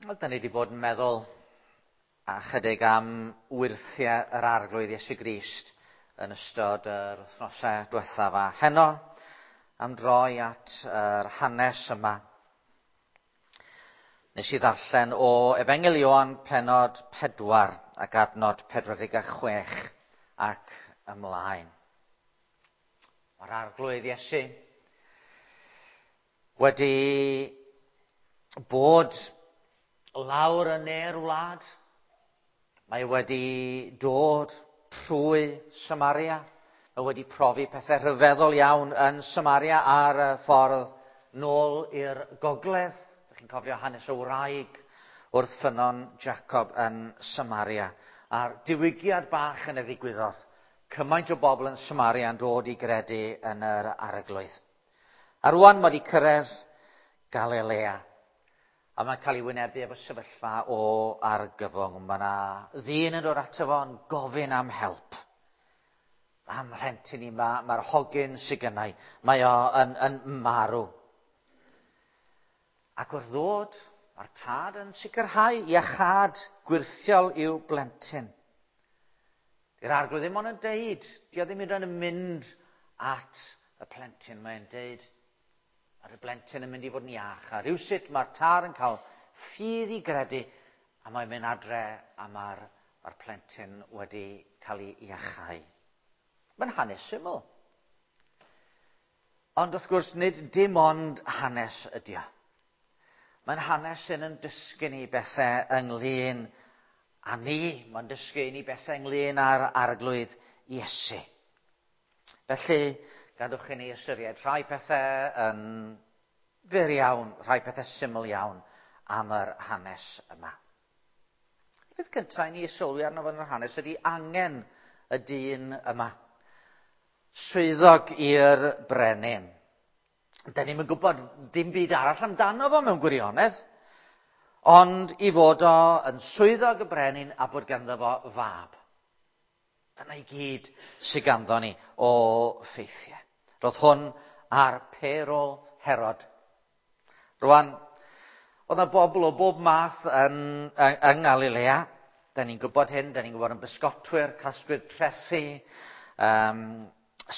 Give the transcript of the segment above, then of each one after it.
Wel, da ni wedi bod yn meddwl a chydig am wyrthiau yr Arglwydd Iesu Grist yn ystod yr wythnosau diwethaf a heno am droi at yr hanes yma. Nes i ddarllen o Efengyl Ioan penod 4 ac adnod 46 ac ymlaen. Mae'r Arglwydd Iesu wedi bod lawr yn ne'r wlad. Mae wedi dod trwy Samaria. Mae wedi profi pethau rhyfeddol iawn yn Samaria ar y ffordd nôl i'r gogledd. Dych chi'n cofio hanes y wraig wrth ffynnon Jacob yn Samaria. A'r diwygiad bach yn y ddigwyddodd. Cymaint o bobl yn Samaria yn dod i gredu yn yr Arglwydd. A rwan mae wedi cyrraedd Galilea. A mae'n cael ei wynebu efo sefyllfa o argyfwng. Mae yna ddyn yn dod ato fo yn gofyn am help. Am rhentyn i, mae'r ma hogyn sydd gynnau. Mae o yn, yn marw. Ac wrth ddod, mae'r tad yn sicrhau iachâd gwyrthiol i'w blentyn. Di'r Arglwydd ddim ond yn deud, di o ddim yn mynd at y plentyn, mae'n deud, Mae'r blentyn yn mynd i fod yn iach. A rhywsut mae'r tad yn cael ffydd i gredu a mae'n mynd adre a mae'r mae plentyn wedi cael ei iachau. Mae'n hanes syml. Ond wrth gwrs, nid dim ond hanes ydy o. Mae'n hanes sy'n yn dysgu ni bethau ynglyn â ni. Mae'n dysgu ni bethau ynglyn â'r Arglwydd Iesu. Felly, gadwch i ni ystyried rhai pethau yn fyr iawn, rhai pethau syml iawn am yr hanes yma. Y peth cyntaf i ni sylwi arno fo yn yr hanes ydy angen y dyn yma. Swyddog i'r brenin. Da ni'm yn gwybod dim byd arall amdano fo mewn gwirionedd, ond i fod o yn swyddog y brenin a bod ganddo fo fab. Dyna i gyd sydd ganddo ni o ffeithiau. Roedd hwn ar payroll Herod. Rwan, oedd yna bobl o bob math yn, yng, yng Ngalilea. Da ni'n gwybod hyn, da ni'n gwybod yn bysgotwyr, casglwyr trethi, um,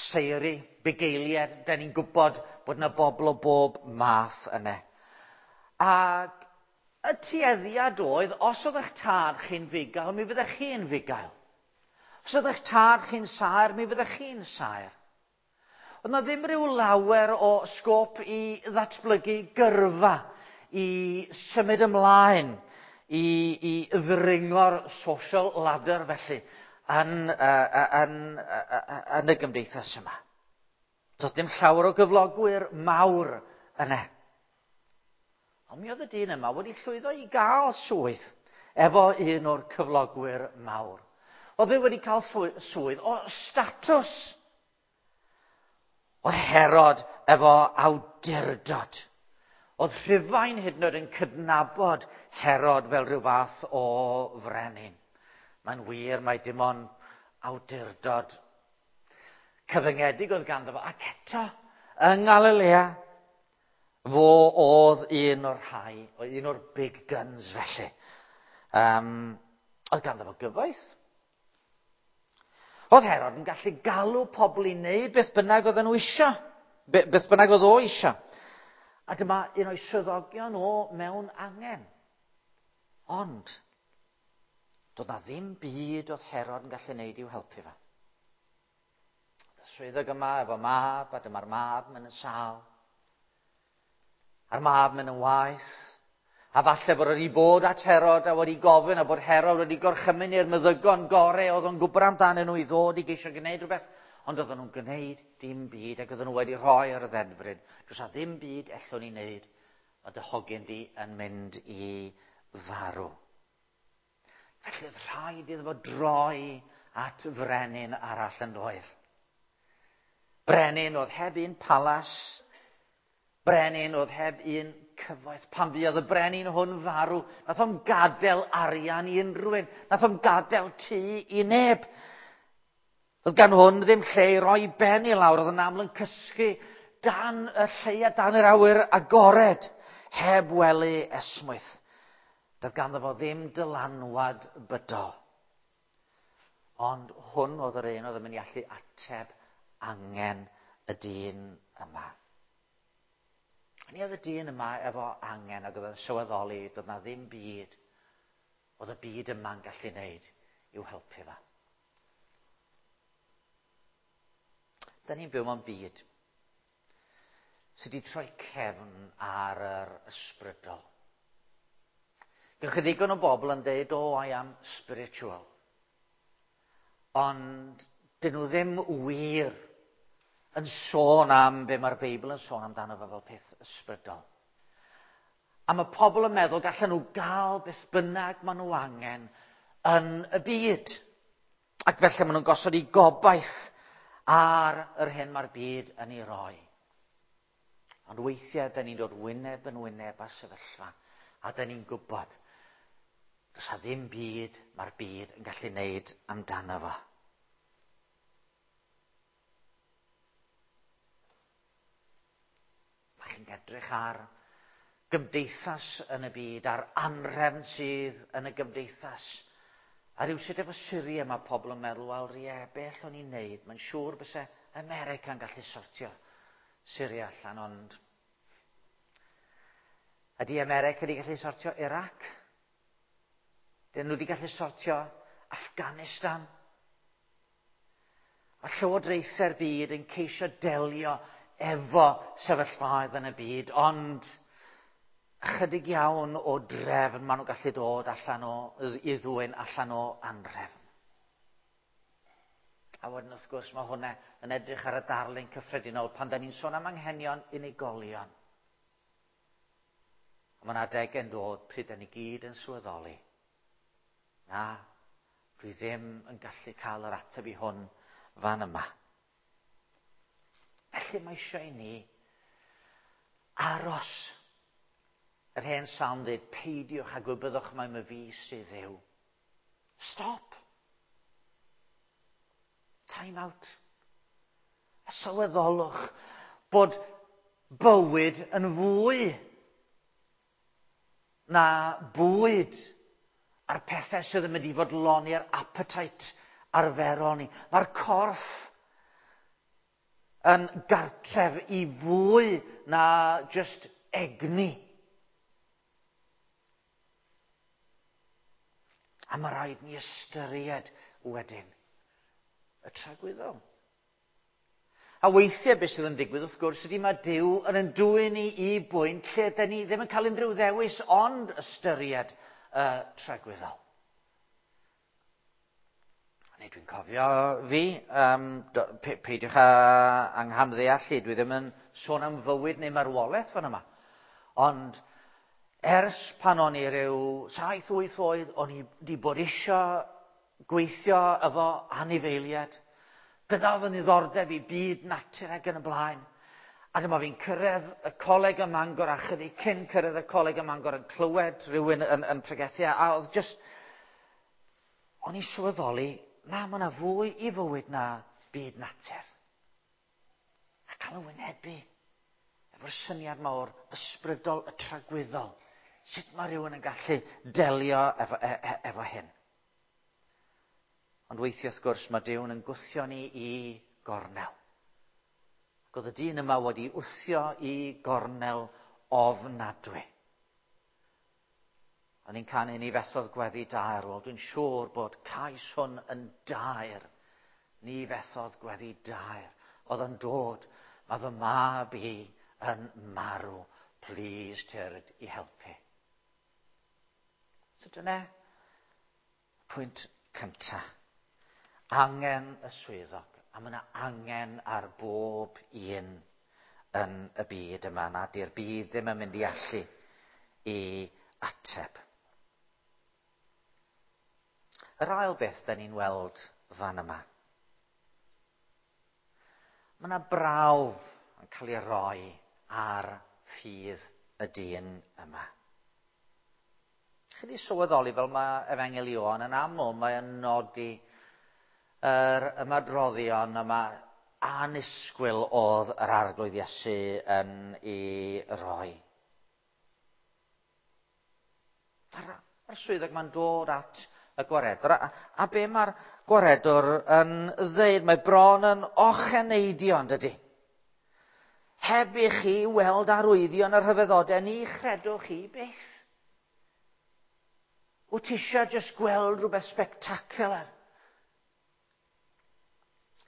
seiri, bugeiliaid. Da ni'n gwybod bod yna bobl o bob math yna. Ac y tueddiad oedd, os oedd eich tad chi'n fugail, mi fyddech chi'n fugail. Os oedd eich tad chi'n saer, mi fyddech chi'n saer. Oedd na ddim rhyw lawer o sgôp i ddatblygu gyrfa, i symud ymlaen, i, i ddringo'r social ladder felly yn, uh, yn, uh, yn y gymdeithas yma. Doedd dim llawer o gyflogwyr mawr yna. Ond mi oedd y dyn yma wedi llwyddo i gael swydd efo un o'r cyflogwyr mawr. Oedd e wedi cael swydd o statws. Oedd Herod efo awdurdod. Oedd Rhufain hyd yn oed yn cydnabod Herod fel rhyw fath o frenin. Mae'n wir, mae dim ond awdurdod cyfyngedig oedd ganddo fo. Ac eto, yng Ngalilea, fo oedd un o'r rhai, un o'r big guns felly. Um, oedd ganddo fo gyfoeth. Oedd Herod yn gallu galw pobl i wneud beth bynnag oedden nhw isio. Beth bynnag oedd o isio. A dyma un o'i swyddogion o mewn angen. Ond, doedd na ddim byd oedd Herod yn gallu wneud i'w helpu fe. Y swyddog yma efo mab, a dyma'r mab mynd yn sâl. A'r mab mynd yn waeth. A falle bod wedi bod at Herod a wedi gofyn a bod Herod wedi gorchymyn i'r meddygon gore oedd o'n gwybod amdanyn nhw i ddod i geisio gwneud rhywbeth. Ond oedden nhw'n gwneud dim byd ac oedden nhw wedi rhoi ar y ddedfryd. Does a ddim byd ellwn ni wneud. Mae dy hogyn di yn mynd i farw. Felly oedd rhaid iddo fo droi at frenin arall yn doedd. Brenin oedd heb un palas, Brenin oedd heb un cyfoeth. Pan fuodd y brenin hwn farw, nath o'm gadael arian i unrhyw un. Nath o'm gadael tŷ i neb. Oedd gan hwn ddim lle i roi ben i lawr. Oedd yn aml yn cysgu dan y lleia, dan yr awyr agored, heb wely esmwyth. Doedd ganddo fo ddim dylanwad bydol. Ond hwn oedd yr un oedd yn mynd i allu ateb angen y dyn yma. Ni oedd y dyn yma efo angen ac oedd yn sylweddoli doedd na ddim byd oedd y byd yma'n gallu wneud i'w helpu fo. Da ni'n byw mewn byd sydd wedi troi cefn ar yr ysbrydol. Gewch chi ddigon o bobl yn deud, oh, I am spiritual. Ond dyn nhw ddim wir yn sôn am be mae'r Beibl yn sôn amdano fe fel peth ysbrydol. A mae pobl yn meddwl gallan nhw gael beth bynnag maen nhw angen yn y byd. Ac felly maen nhw'n gosod eu gobaith ar yr hyn mae'r byd yn ei roi. Ond weithiau, da ni'n dod wyneb yn wyneb â sefyllfa, a da ni'n gwybod, does a ddim byd mae'r byd yn gallu wneud amdano fo. Da chi'n edrych ar gymdeithas yn y byd, a'r anrhefn sydd yn y gymdeithas. A rhywsut efo Syria mae pobl yn meddwl, wel, ie, beth o'n i'n neud? Mae'n siŵr byse America'n gallu sortio Syria allan, ond ydy America wedi gallu sortio Iraq? Dyn nhw wedi gallu sortio Afghanistan? A llywodraethau'r byd yn ceisio delio efo sefyllfaoedd yn y byd, ond ychydig iawn o drefn maen nhw'n gallu dod allan o, i ddwyn allan o anrefn. A wedyn wrth gwrs mae hwnna yn edrych ar y darlun cyffredinol pan da ni'n sôn am anghenion unigolion. A mae'n adegau'n dod pryd da ni gyd yn sylweddoli. Na, dwi ddim yn gallu cael yr ateb i hwn fan yma. Felly mae eisiau i ni aros. Yr hen salm dweud, peidiwch a gwybyddwch mai my fi sydd Dduw. Stop. Time out. A sylweddolwch bod bywyd yn fwy na bwyd a'r pethau sydd yn mynd i fodloni'r appetite arferol ni. Mae'r corff yn gartref i fwy na just egni. A mae rhaid ni ystyried wedyn y tragwyddol. A weithiau beth sydd yn digwydd wrth gwrs ydy mae Duw yn yn dwyn ni i bwynt lle dyn ni ddim yn cael unrhyw ddewis ond ystyried y tragwyddol. Neu dwi'n cofio fi, um, peidiwch â anghamddeallu, dwi ddim yn sôn am fywyd neu marwolaeth fan yma. Ond ers pan o'n i ryw 7-8 oed, o'n i wedi bod isio gweithio efo anifeiliaid. Dyna oedd yn ddiddordeb i byd natur ac yn y blaen. A dyma fi'n cyrraedd y coleg ym Mangor a chydig cyn cyrraedd y coleg ym Mangor yn clywed rhywun yn pregethu a oedd just... O'n i sylweddoli, na, mae yna fwy i fywyd na byd natur. A cael y wynebu efo'r syniad mawr ysbrydol y tragwyddol. Sut mae rhywun yn gallu delio efo hyn? Ond weithiau wrth gwrs mae Duw yn gwthio ni i gornel. Ac oedd y dyn yma wedi wthio i gornel ofnadwy. O'n i'n canu ni fethodd gweddi daer. Wel, dwi'n siŵr bod cais hwn yn daer. Ni fethodd gweddi daer. Oedd yn dod, mae fy mab i yn marw. Please, tyrd i helpu. So dyna pwynt cynta. Angen y swyddog. A mae yna angen ar bob un yn y byd yma. Na di'r byd ddim yn mynd i allu i ateb. Yr ail beth da ni'n weld fan yma. Mae yna brawf yn cael ei roi ar ffydd y dyn yma. Chi wedi sylweddoli fel mae Efengyl Ioan yn aml, mae'n nodi yr ymadroddion yma anisgwyl oedd yr Arglwydd Iesu yn ei roi. Mae'r swyddog ma'n dod at y gwaredwr. A be mae'r gwaredwr yn ddeud? Mae bron yn ocheneidio, yn dydy? Heb i chi weld arwyddion y rhyfeddodau, ni chredwch chi byth. Wyt ti eisiau jyst gweld rhywbeth spectacular?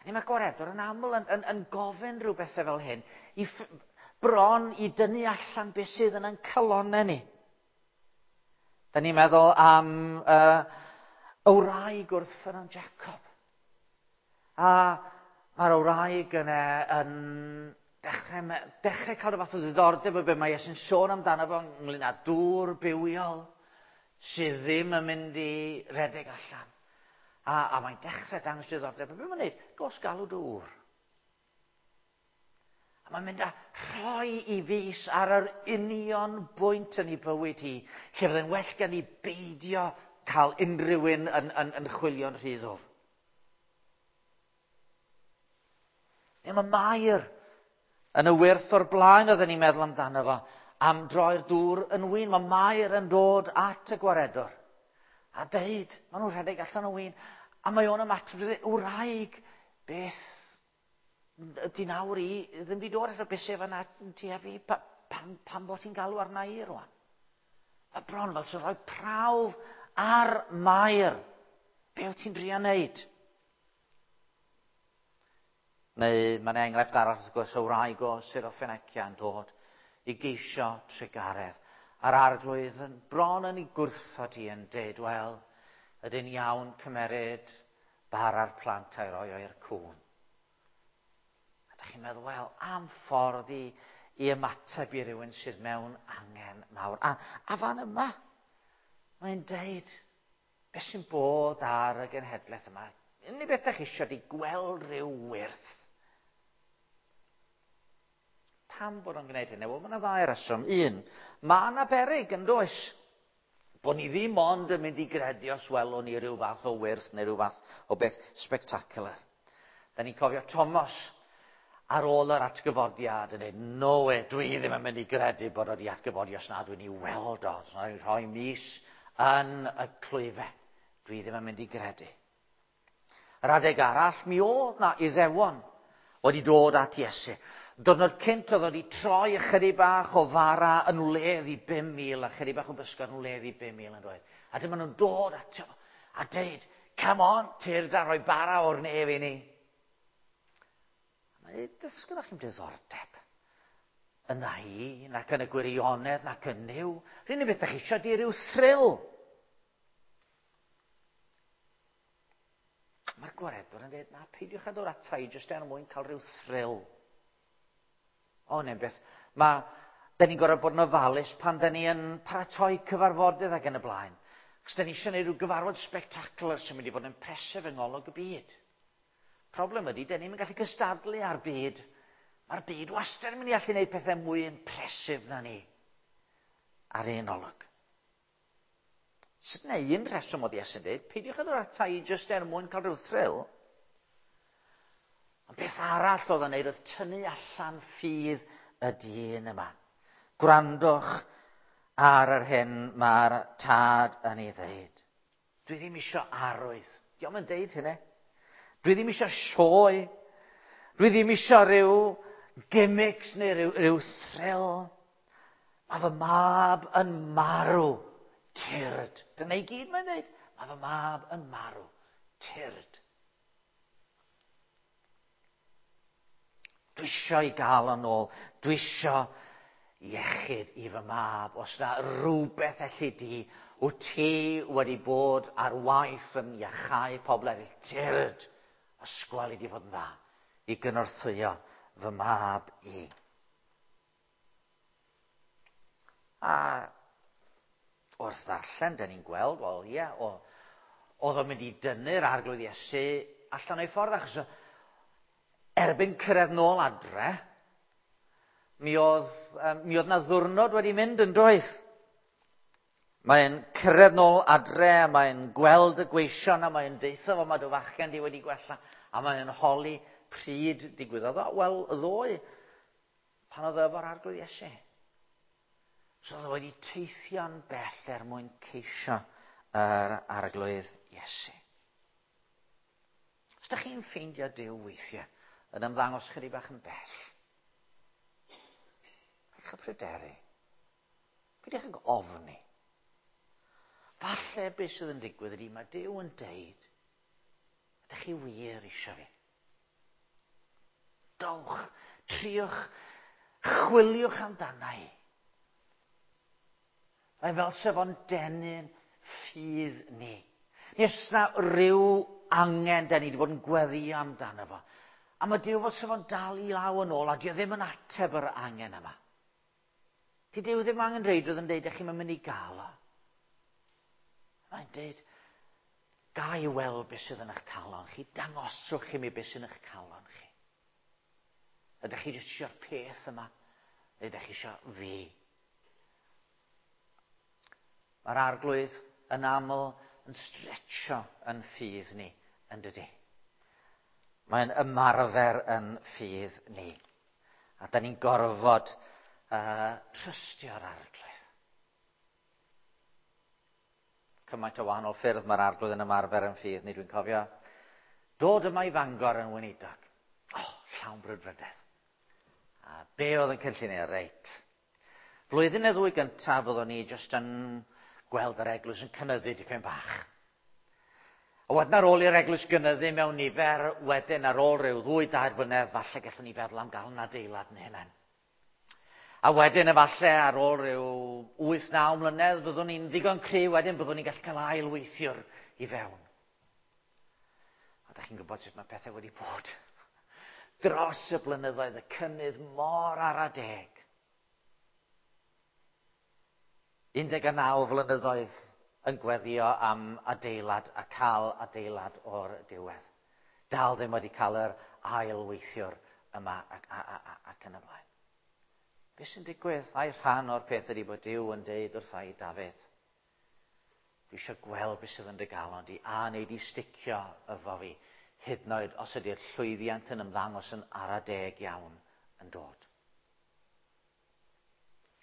Ni mae gwaredwr yn aml yn gofyn rhyw bethau fel hyn, i bron i dynnu allan beth sydd yn ein calonnau ni. Da ni'n meddwl am y wraig wrth ffynnon Jacob. A mae'r wraig yna yn dechrau cael rhyw fath o ddiddordeb o beth mae Iesu'n sôn amdano fo ynglyn â dŵr bywiol sydd ddim yn mynd i redeg allan. A mae'n dechrau dangos diddordeb. A beth mae'n gwneud? Gos galw dŵr. A mae'n mynd â rhoi i fus ar yr union bwynt yn ei bywyd hi, lle fydde'n well gen i beidio cael unrhyw un yn chwilio'n rhy ddwfn. Neu mae Mair yn y wyrth o'r blaen oedden ni'n meddwl amdano fo, am droi'r dŵr yn win. Mae Mair yn dod at y gwaredwr a deud, maen nhw'n rhedeg allan o win, a mae o'n ymateb, wraig, beth ydy nawr i ddim wedi dod eto, beth sef yna ti a fi, pam bod ti'n galw arna i rwan? Mae bron fel sy'n rhoi prawf ar Mair. Be wyt ti'n drio wneud? Neu mae'n enghraifft arall wrth gwrs o wraig o Syrophoenicia yn dod i geisio trugaredd. A'r arglwydd yn bron yn ei gwrthod hi yn deud, wel, ydy'n iawn cymeryd bara'r plant a'i roi o i'r cŵn. A da chi'n meddwl, wel, am ffordd i ymateb i rywun sydd mewn angen mawr. A fan yma, mae'n deud, beth sy'n bod ar y genhedlaeth yma? Unig beth da chi eisiau di gweld rhyw wyrth. Pam bod o'n gwneud hynny? Wel, mae yna ddau reswm. Un, mae yna beryg yn does? Bod ni ddim ond yn mynd i gredu os welwn ni rhyw fath o wyrth neu rhyw fath o beth spectacular. Da ni'n cofio Thomas ar ôl yr atgyfodiad yn dweud, no way, dwi ddim yn mynd i gredu bod o wedi atgyfodi os na dwi'n ei weld o. Os na dwi'n rhoi mis yn y clwyfe. Dwi ddim yn mynd i gredu. Yr adeg arall, mi oedd na Iddewon wedi dod at Iesu. Diwrnod cynt oedd wedi troi ychydig bach o fara yn wledd i 5,000 a chydig bach o bysgod yn wledd i 5,000 yn dweud. A dyma nhw'n dod ato a deud, come on, tyrd a rhoi bara o'r nef i ni. A mae'n dweud, dysgwch chi'n diddordeb yna i, nac yn y gwirionedd, nac yn Nuw. Rhywun beth ydych chi eisiau di ryw thrill. Mae'r gwaredwr yn dweud, na, peidiwch â dod ata i jyst er mwyn cael rhyw thrill. O, neu'n beth, da ni'n gorfod bod yn ofalus pan da ni yn paratoi cyfarfodydd ac yn y blaen. Cos da ni eisiau gwneud rhyw gyfarfod spectacular sy'n mynd i fod yn impressive yng ngolwg y byd. Problem ydy, da ni'n gallu cystadlu â'r byd. Mae'r byd wastad yn mynd i allu gwneud pethau mwy impressive na ni ar un olwg. Sut neu un rheswm oedd Iesu'n dweud, peidiwch â dod ata i jyst er mwyn cael rhyw thrill. Ond beth arall oedd o'n neud oedd tynnu allan ffydd y dyn yma. Gwrandwch ar yr hyn mae'r tad yn ei ddeud. Dwi ddim isio arwydd. Dio'm yn deud hynny. Dwi ddim isio sioe. Dwi ddim isio rhyw gimmicks neu rhyw thrill. Mae fy mab yn marw. Tyrd. Dyna i gyd mae'n dweud. Mae fy mab yn marw. Tyrd. Dwi isio i gael o'n ôl. Dwi isio iechyd i fy mab. Os na rhywbeth elli di, wyt ti wedi bod ar waith yn iachau pobl eraill. Tyrd. Ysgwel i di fod yn dda i gynorthwyo fy mab i. A wrth ddarllen, da ni'n gweld, wel ie, oedd o'n mynd i dynnu'r arglwydd Iesu allan o'i ffordd, achos erbyn cyrraedd nôl adre, mi oedd na ddwrnod wedi mynd yn doedd. Mae'n cyrraedd nôl adre, a mae'n gweld y gweision, a mae'n deutha fo, mae dy fachgen di wedi gwella, a mae'n holi pryd digwyddodd o. Wel, ddoe, pan oedd efo'r arglwydd Iesu. So oedd o wedi teithio'n bell er mwyn ceisio yr arglwydd Iesu. Os ydych chi'n ffeindio Duw weithiau yn ymddangos chydig bach yn bell, peidiwch â pryderu. Peidiwch ag ofni. Falle beth sydd yn digwydd ydy mae Duw yn deud, ydych chi wir eisiau fi? Dowch, triwch, chwiliwch amdana i. Mae fel sef o'n denu'n ffydd ni. Nes na rhyw angen da ni wedi bod yn gweddio amdano fo. A mae Duw fel sef o'n dal i law yn ôl a dio ddim yn ateb yr angen yma. Di Duw ddim angen reidrwydd yn deud, ych chi'n mynd i gael o. Mae'n deud, ga i weld beth sydd yn eich calon chi, dangoswch i mi beth sydd yn eich calon chi. Ydych chi jyst eisiau'r peth yma? Neu ydych chi eisiau fi? Mae'r arglwydd yn aml yn stretcho yn ffydd ni, yn dydy. Mae'n ymarfer yn ffydd ni. A da ni'n gorfod trystio'r arglwydd. Cymaint o wahanol ffyrdd mae'r arglwydd yn ymarfer yn ffydd ni, dwi'n cofio. Dod yma i Fangor yn weinidog. Oh, llawn brwdfrydedd. A be oedd yn cynllun Reit. Flwyddyn neu ddwy gyntaf fyddwn ni jyst yn gweld yr eglwys yn cynyddu dipyn bach. A wedyn ar ôl i'r eglwys gynyddu mewn nifer, wedyn ar ôl rhyw 2-3 blynedd, falle gallwn ni feddwl am gael yn adeilad yn hynny. A wedyn efallai ar ôl rhyw 8-9 mlynedd, byddwn ni'n ddigon cry wedyn, byddwn ni'n gallu cael ail weithiwr i fewn. A da chi'n gwybod sut mae pethau wedi bod. Dros y blynyddoedd, y cynnydd mor ara deg. 19 flynyddoedd yn gweddio am adeilad a cael adeilad o'r diwedd. Dal ddim wedi cael yr ail weithiwr yma ac, a, a, a, ac yn y blaen. Be sy'n digwydd? Ai rhan o'r peth ydy bod Duw yn deud wrtha i Dafydd, dwi eisiau gweld beth sydd yn dy galon di, a wneud i sticio efo fi, hyd yn oed os ydy'r llwyddiant yn ymddangos yn ara deg iawn yn dod.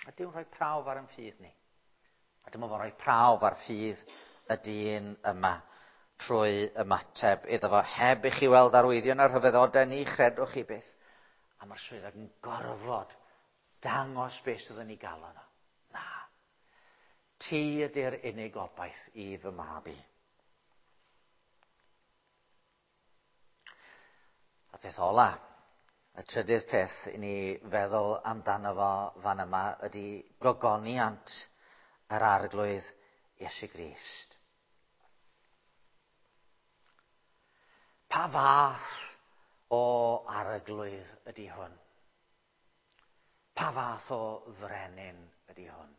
A Duw'n rhoi prawf ar yn ffydd ni. A dyma fo'n rhoi prawf ar ffydd y dyn yma trwy ymateb iddo fo. Heb i chi weld arwyddion a'r rhyfeddodau, ni chredwch chi byth. A mae'r swyddog yn gorfod dangos beth sydd yn ei galon o. Na. Ti ydy'r unig obaith i fy mab i. A peth ola, y trydydd peth i ni feddwl amdano fo fan yma ydy gogoniant yr arglwydd Iesu Grist. Pa fath o arglwydd ydy hwn? Pa fath o frenin ydy hwn?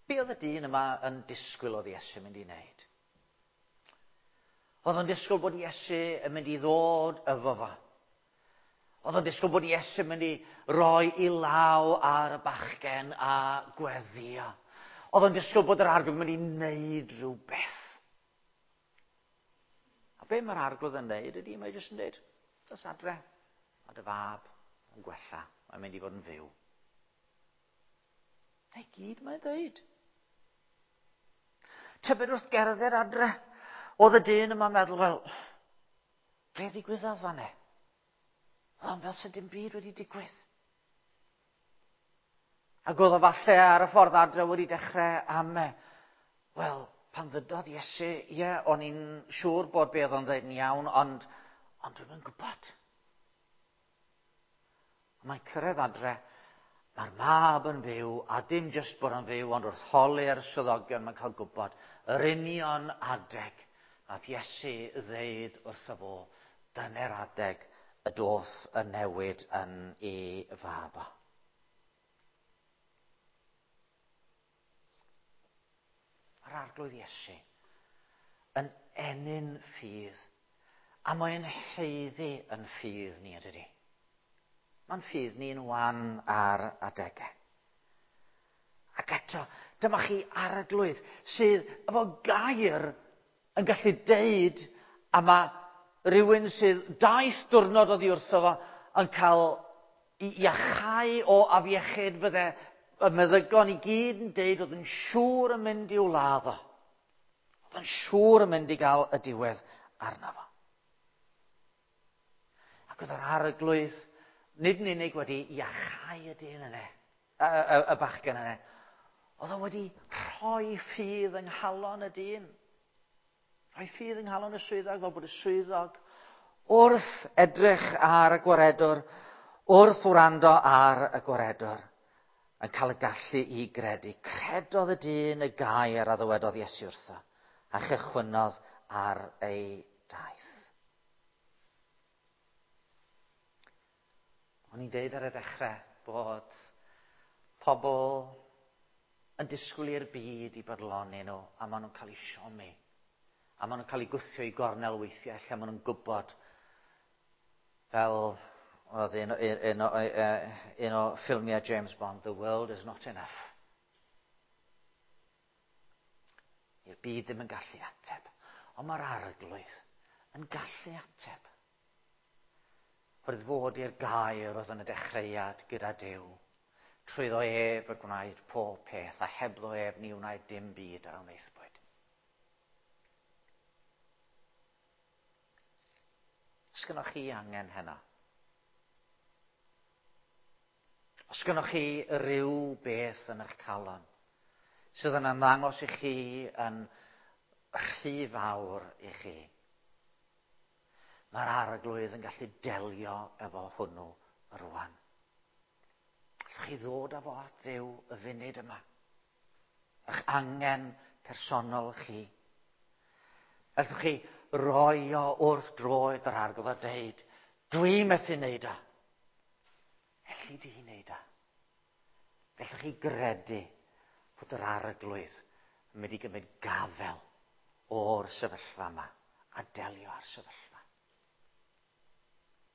Be oedd y dyn yma yn disgwyl oedd Iesu mynd i wneud? Oedd o'n disgwyl bod Iesu yn mynd i ddod efo fo. Oedd o'n disgwyl bod Iesu yn mynd i roi i law ar y bachgen a gweddio. Oedd o'n disgwyl bod yr arglwydd yn mynd i wneud rhywbeth. A be mae'r arglwydd yn wneud ydy, mae jyst yn dweud, dos adre, mae dy fab yn gwella, mae'n mynd i fod yn fyw. Na i gyd mae'n dweud. Tybed wrth gerdded adre, oedd y dyn yma'n meddwl, wel, be ddigwyddodd fan e? Oedd o'n fel sydd dim byd wedi digwydd. Ac oedd o falle ar y ffordd adre wedi dechrau am e. Wel, pan ddydodd Iesu, ie, o'n i'n siŵr bod be oedd o'n dweud yn iawn, ond, ond dwi'm yn gwybod. Mae'n cyrraedd adre, mae'r mab yn fyw, a dim jyst bod yn fyw, ond wrth holi'r swyddogion mae'n cael gwybod yr union adeg nath Iesu ddeud wrtho fo, dyna'r adeg y doth y newid yn ei fab o. Mae'r arglwydd Iesu yn ennyn ffydd, a mae'n haeddu yn ffydd ni, ydydi? Mae'n ffydd ni'n wan ar adegau. Ac eto, dyma chi arglwydd sydd efo gair yn gallu deud, a mae rhywun sydd daith diwrnod oddi wrtho fo yn cael i iachau o afiechyd fydde y meddygon i gyd yn deud oedd yn siŵr yn mynd i'w ladd o. Oedd yn siŵr yn mynd i gael y diwedd arno fo. Ac oedd yr Arglwydd nid yn unig wedi iachau y dyn yna, y bachgen yna, oedd o wedi rhoi ffydd yng nghalon y dyn. Rhoi ffydd yng nghalon y swyddog, fel bod y swyddog wrth edrych ar y gwaredwr, wrth wrando ar y gwaredwr, yn cael y gallu i gredu. Credodd y dyn y gair a ddywedodd Iesu wrtho, a chychwynnodd ar ei daith. O'n i'n deud ar y dechrau bod pobl yn disgwyl i'r byd i bodloni nhw, a maen nhw'n cael eu siomi. A maen nhw'n cael eu gwthio i gornel weithiau lle maen nhw'n gwybod, fel oedd un o ffilmiau James Bond, "The world is not enough." I'r byd ddim yn gallu ateb, ond mae'r Arglwydd yn gallu ateb. Oherwydd fod i'r gair oedd yn y dechreuad gyda Duw. Trwyddo ef y gwnaed pob peth, a hebddo ef ni wnaed dim byd a wnaethpwyd. Os gynnoch chi angen heno? Os gynnoch chi ryw beth yn eich calon sydd yn ymddangos i chi yn rhy fawr i chi, mae'r Arglwydd yn gallu delio efo hwnnw rwan. Allwch chi ddod â fo at Dduw y funud yma? Eich angen personol chi. Allwch chi roi o wrth droed yr Arglwydd a deud, "Dwi methu wneud o. Elli di wneud o?" Gallwch chi gredu bod yr Arglwydd yn mynd i gymryd gafel o'r sefyllfa yma a delio â'r sefyllfa.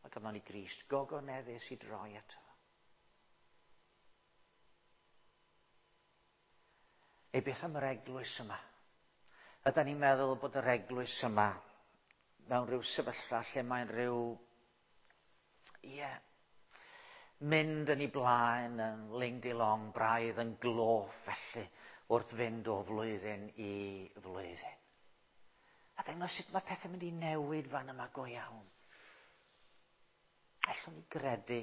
Mae ganddo ni Grist gogoneddus i droi ato fo. Neu beth am yr eglwys yma? Ydy ni'n meddwl bod yr eglwys yma mewn rhyw sefyllfa lle mae'n rhyw, ie, mynd yn ei blaen yn ling-di-long, braidd yn gloff felly, wrth fynd o flwyddyn i flwyddyn? A dangos sut mae pethau'n mynd i newid fan yma go iawn. Allwn ni gredu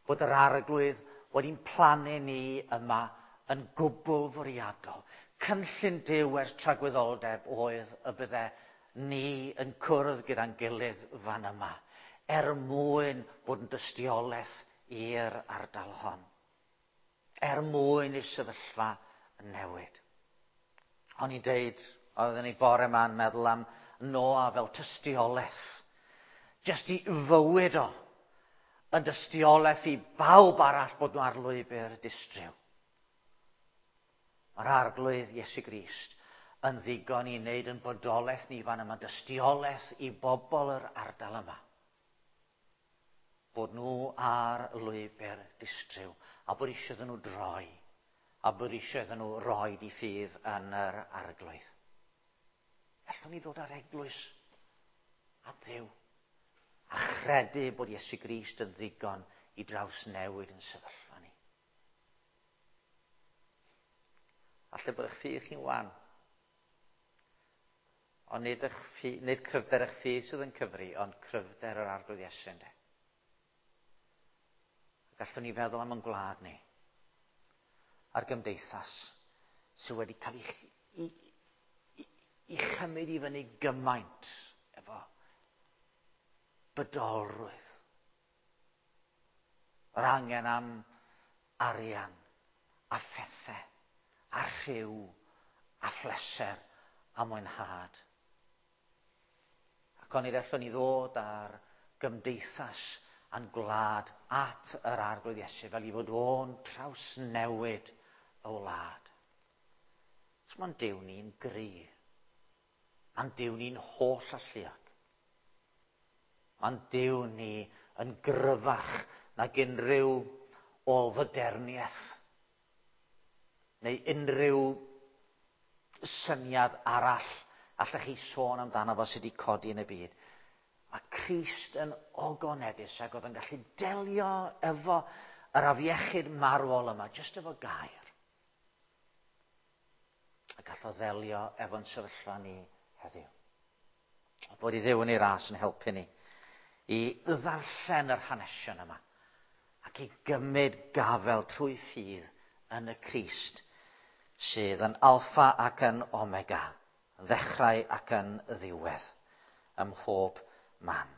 bod yr Arglwydd wedi'n plannu ni yma yn gwbl fwriadol? Cynllun Duw ers tragwyddoldeb oedd y bydde ni yn cwrdd gyda'n gilydd fan yma, er mwyn bod yn dystiolaeth i'r ardal hon. Er mwyn i'r sefyllfa newid. O'n i'n deud, oedden ni bore yma'n meddwl am Noa fel tystiolaeth. Jyst i fywyd o yn dystiolaeth i bawb arall bod nhw ar lwybr distryw. Mae'r Arglwydd Iesu Grist yn ddigon i wneud yn bodolaeth ni fan yma dystiolaeth i bobl yr ardal yma. Bod nhw ar lwybr distryw a bod eisiau iddyn nhw droi a bod eisiau iddyn nhw roi di ffydd yn yr Arglwydd. Allwn ni ddod ar eglwys a Dduw a chredu bod Iesu Grist yn ddigon i drawsnewid yn sefyllfa ni? Falle bod eich ffydd chi'n wan. Ond nid cryfder eich ffydd sydd yn cyfri, ond cryfder yr Arglwydd Iesu, ynde. Gallwn ni feddwl am yn gwlad ni, a'r gymdeithas sydd wedi cael ei chymryd i fyny gymaint efo bydolrwydd. Yr angen am arian a phethau a rhyw a phleser a mwynhad. Ac onid allwn ni ddod ar gymdeithas a'n gwlad at yr Arglwydd Iesu fel i fod o'n trawsnewid y wlad? Os mae'n Duw ni'n gry, mae'n Duw ni'n holl alluog. Mae'n Duw ni yn gryfach nag unrhyw ôl-foderniaeth neu unrhyw syniad arall allech chi sôn amdano fo sydd wedi codi yn y byd. Mae Crist yn ogoneddus ac oedd yn gallu delio efo yr afiechyd marwol yma, jyst efo gair. A gallodd ddelio efo'n sefyllfa ni heddiw. A bod i Dduw yn ei ras yn helpu ni i ddarllen yr hanesion yma ac i gymryd gafel trwy ffydd yn y Crist sydd yn alffa ac yn omega, yn ddechrau ac yn ddiwedd, ym mhob man.